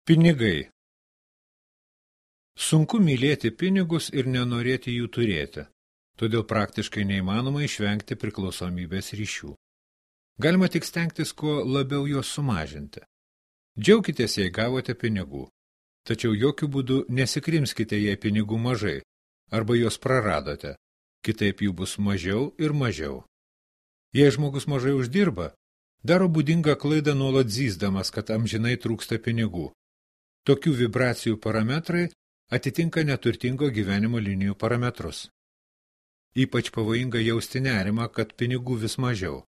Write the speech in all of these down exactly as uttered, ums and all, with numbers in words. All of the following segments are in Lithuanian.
Pinigai. Sunku mylėti pinigus ir nenorėti jų turėti, todėl praktiškai neįmanoma išvengti priklausomybės ryšių. Galima tik stengtis kuo labiau juos sumažinti. Džiaukitės, jei gavote pinigų, tačiau jokių būdų nesikrimskite, jei pinigų mažai, arba juos praradote, kitaip jų bus mažiau ir mažiau. Jei žmogus mažai uždirba, daro būdingą klaidą nuolat zyzdamas, kad amžinai trūksta pinigų. Tokių vibracijų parametrai atitinka neturtingo gyvenimo linijų parametrus. Ypač pavojinga jausti nerimą, kad pinigų vis mažiau.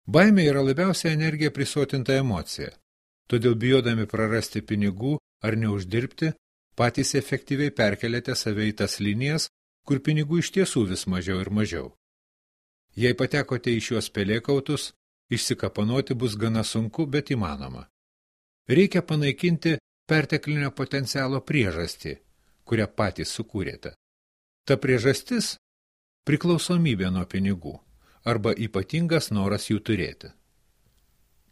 Baimė yra labiausiai energija prisotinta emocija, todėl bijodami prarasti pinigų ar neuždirbti, patys efektyviai perkeliate save į tas linijas, kur pinigų iš tiesų vis mažiau ir mažiau. Jei patekote į šiuos pelėkautus, išsikapanoti bus gana sunku, bet įmanoma. Reikia panaikinti perteklinio potencialo priežastį, kurią patys sukūrėte. Ta priežastis – priklausomybė nuo pinigų arba ypatingas noras jų turėti.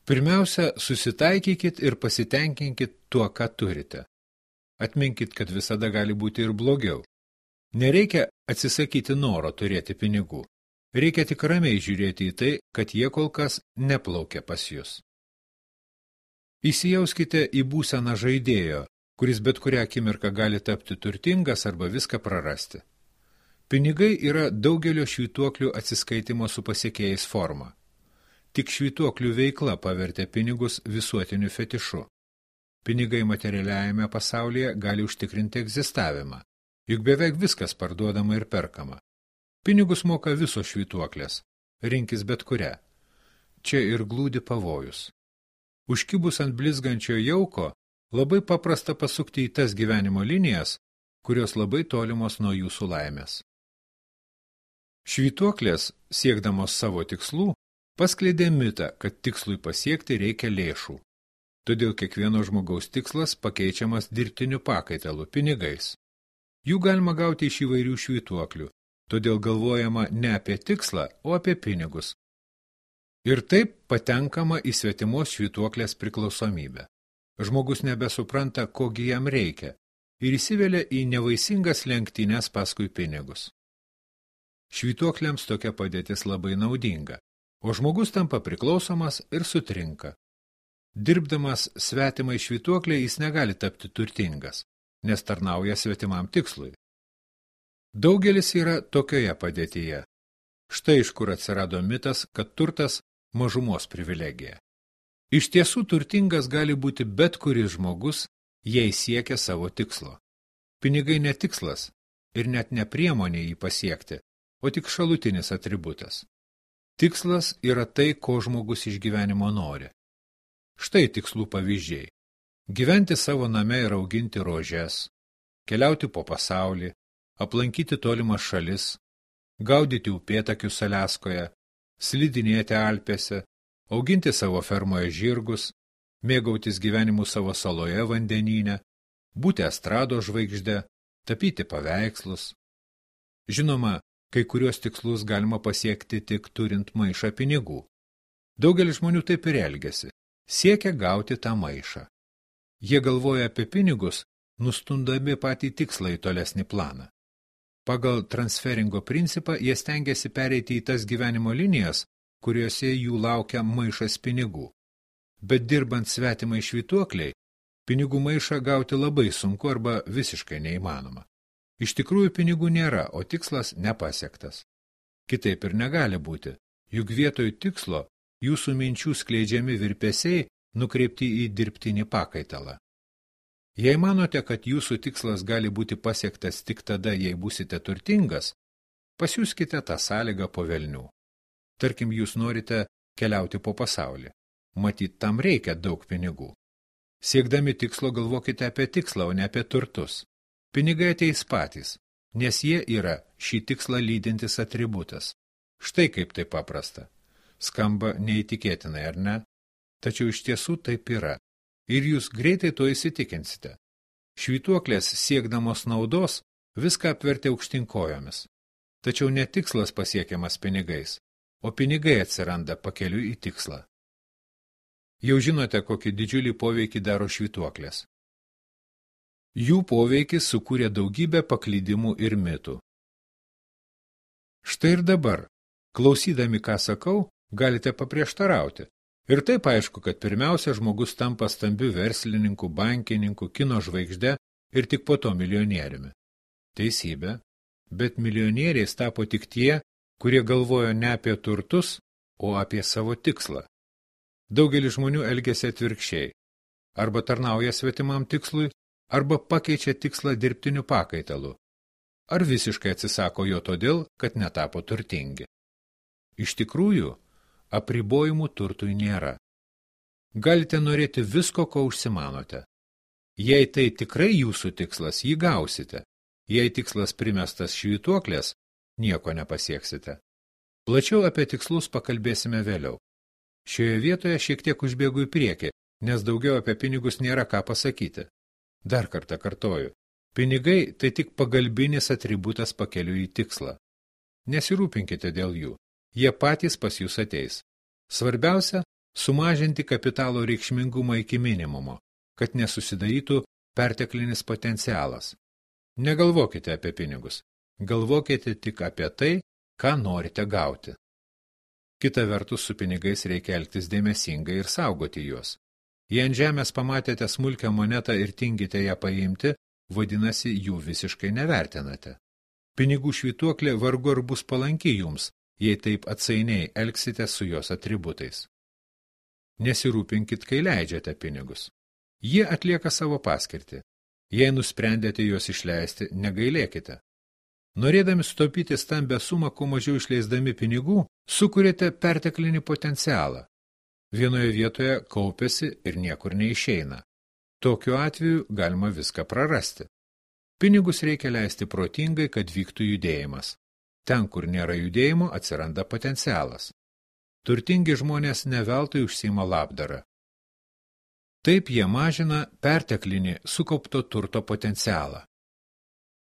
Pirmiausia, susitaikykit ir pasitenkinkit tuo, ką turite. Atminkit, kad visada gali būti ir blogiau. Nereikia atsisakyti noro turėti pinigų. Reikia tik ramiai žiūrėti į tai, kad jie kol kas neplaukia pas jus. Įsijauskite į būseną žaidėjo, kuris bet kurią akimirką gali tapti turtingas arba viską prarasti. Pinigai yra daugelio švytuoklių atsiskaitimo su pasiekėjais forma. Tik švytuoklių veikla pavertė pinigus visuotiniu fetišu. Pinigai materialiajame pasaulyje gali užtikrinti egzistavimą, juk beveik viskas parduodama ir perkama. Pinigus moka visos švytuoklės, rinkis bet kurią. Čia ir glūdi pavojus. Užkibus ant blizgančio jauko, labai paprasta pasukti į tas gyvenimo linijas, kurios labai tolimos nuo jūsų laimės. Švytuoklės, siekdamos savo tikslų, paskleidė mitą, kad tikslui pasiekti reikia lėšų. Todėl kiekvieno žmogaus tikslas pakeičiamas dirbtiniu pakaitalu – pinigais. Jų galima gauti iš įvairių švytuoklių, todėl galvojama ne apie tikslą, o apie pinigus. Ir taip patenkama į svetimos švytuoklės priklausomybę. Žmogus nebesupranta, kogi jam reikia, ir įsivelia į nevaisingas lenktynes paskui pinigus. Švytuokliams tokia padėtis labai naudinga, o žmogus tampa priklausomas ir sutrinka. Dirbdamas svetimai švytuoklė jis negali tapti turtingas, nes tarnauja svetimam tikslui. Daugelis yra tokioje padėtyje. Štai iš kur atsirado mitas, kad turtas mažumos privilegija. Iš tiesų turtingas gali būti bet kuris žmogus, jei siekia savo tikslo. Pinigai ne tikslas ir net ne priemonė jį pasiekti, o tik šalutinis atributas. Tikslas yra tai, ko žmogus iš gyvenimo nori. Štai tikslų pavyzdžiai. Gyventi savo name ir auginti rožes, keliauti po pasaulį, aplankyti tolimas šalis, gaudyti upėtakius Aliaskoje, slidinėti Alpėse, auginti savo fermoje žirgus, mėgautis gyvenimu savo saloje vandenyne, būti estrados žvaigžde, tapyti paveikslus. Žinoma, kai kurios tikslus galima pasiekti tik turint maišą pinigų. Daugelis žmonių taip ir elgiasi, siekia gauti tą maišą. Jie galvoja apie pinigus, nustundami patį tikslą į tolesnį planą. Pagal transferingo principą jie stengiasi pereiti į tas gyvenimo linijas, kuriuose jų laukia maišas pinigų. Bet dirbant svetimai švytuokliai, pinigų maišą gauti labai sunku arba visiškai neįmanoma. Iš tikrųjų pinigų nėra, o tikslas nepasiektas. Kitaip ir negali būti, juk vietoj tikslo jūsų minčių skleidžiami virpesiai nukreipti į dirbtinį pakaitalą. Jei manote, kad jūsų tikslas gali būti pasiektas tik tada, jei būsite turtingas, pasiųskite tą sąlygą po velnių. Tarkim, jūs norite keliauti po pasaulį. Matyt, tam reikia daug pinigų. Siekdami tikslo galvokite apie tikslą, o ne apie turtus. Pinigai ateis patys, nes jie yra šį tikslą lydintis atributas. Štai kaip tai paprasta. Skamba neįtikėtinai, ar ne? Tačiau iš tiesų taip yra. Ir jūs greitai to įsitikinsite. Švytuoklės siekdamos naudos viską apvertė aukštinkojomis. Tačiau ne tikslas pasiekiamas pinigais, o pinigai atsiranda pakeliui į tikslą. Jau žinote, kokį didžiulį poveikį daro švytuoklės. Jų poveikis sukūrė daugybę paklydimų ir mitų. Štai ir dabar, klausydami, ką sakau, galite paprieštarauti. Ir taip aišku, kad pirmiausia žmogus tampa stambiu verslininku, bankininku, kino žvaigžde ir tik po to milijonieriumi. Teisybė, bet milijonieriais tapo tik tie, kurie galvojo ne apie turtus, o apie savo tikslą. Daugelis žmonių elgiasi atvirkščiai. Arba tarnauja svetimam tikslui, arba pakeičia tikslą dirbtiniu pakaitalu. Ar visiškai atsisako jo todėl, kad netapo turtingi. Iš tikrųjų, apribojimų turtui nėra. Galite norėti visko, ko užsimanote. Jei tai tikrai jūsų tikslas, jį gausite. Jei tikslas primestas švytuoklės, nieko nepasieksite. Plačiau apie tikslus pakalbėsime vėliau. Šioje vietoje šiek tiek užbėgu į priekį, nes daugiau apie pinigus nėra ką pasakyti. Dar kartą kartoju. Pinigai tai tik pagalbinis atributas pakeliui į tikslą. Nesirūpinkite dėl jų. Jie patys pas jūs ateis. Svarbiausia – sumažinti kapitalo reikšmingumą iki minimumo, kad nesusidarytų perteklinis potencialas. Negalvokite apie pinigus. Galvokite tik apie tai, ką norite gauti. Kita vertus, su pinigais reikia elgtis dėmesingai ir saugoti juos. Jei ant žemės pamatėte smulkią monetą ir tingite ją paimti, vadinasi, jų visiškai nevertinate. Pinigų švytuoklė vargu ar bus palanki jums, jei taip atsainiai elgsite su jos atributais. Nesirūpinkit, kai leidžiate pinigus. Jie atlieka savo paskirtį. Jei nusprendėte juos išleisti, negailėkite. Norėdami sutaupyti stambę sumą, kuo mažiau išleisdami pinigų, sukuriate perteklinį potencialą. Vienoje vietoje kaupiasi ir niekur neišeina. Tokiu atveju galima viską prarasti. Pinigus reikia leisti protingai, kad vyktų judėjimas. Ten, kur nėra judėjimo, atsiranda potencialas. Turtingi žmonės ne veltui užsiima labdarą. Taip jie mažina perteklinį sukaupto turto potencialą.